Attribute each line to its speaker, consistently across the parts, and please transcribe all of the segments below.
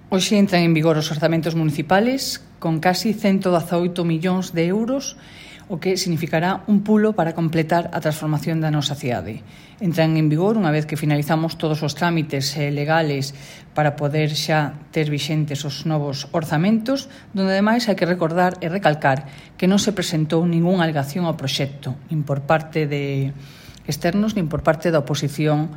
Speaker 1: Hoxe entran en vigor os orzamentos municipales con casi 118 millóns de euros, o que significará un pulo para completar a transformación da nosa cidade. Entran en vigor unha vez que finalizamos todos os trámites legales para poder xa ter vixentes os novos orzamentos, donde ademais hai que recordar e recalcar que non se presentou ningunha alegación ao proxecto, nin por parte de externos, nin por parte da oposición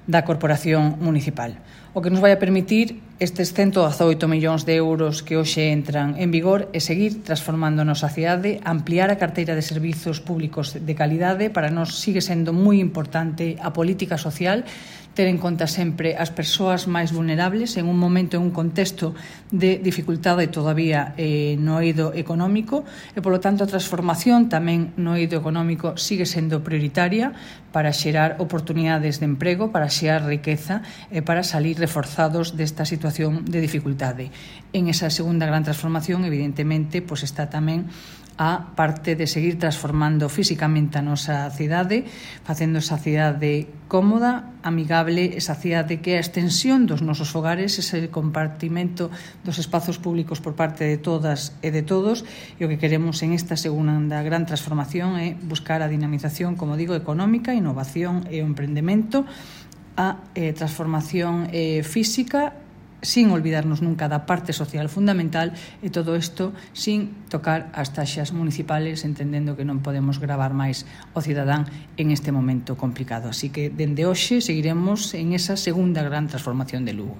Speaker 1: da Corporación Municipal. O que nos vai a permitir estes 118 millóns de euros que hoxe entran en vigor é seguir transformando a nosa cidade, ampliar a carteira de servizos públicos de calidade. Para nós sigue sendo moi importante a política social, ter en conta sempre as persoas máis vulnerables en un momento, en un contexto de dificultade todavía no eido económico, e polo tanto a transformación tamén no eido económico sigue sendo prioritaria para xerar oportunidades de emprego, para xerar riqueza e para salir reforzados desta situación de dificultade. En esa segunda gran transformación, evidentemente, pois está tamén a parte de seguir transformando físicamente a nosa cidade, facendo esa cidade cómoda, amigable, esa cidade que é a extensión dos nosos fogares, ese compartimento dos espazos públicos por parte de todas e de todos, e o que queremos en esta segunda gran transformación é buscar a dinamización, como digo, económica, innovación e o emprendemento, a transformación física, sin olvidarnos nunca da parte social fundamental, e todo isto sin tocar as taxas municipales, entendendo que non podemos gravar máis o cidadán en este momento complicado. Así que, dende hoxe, seguiremos en esa segunda gran transformación de Lugo.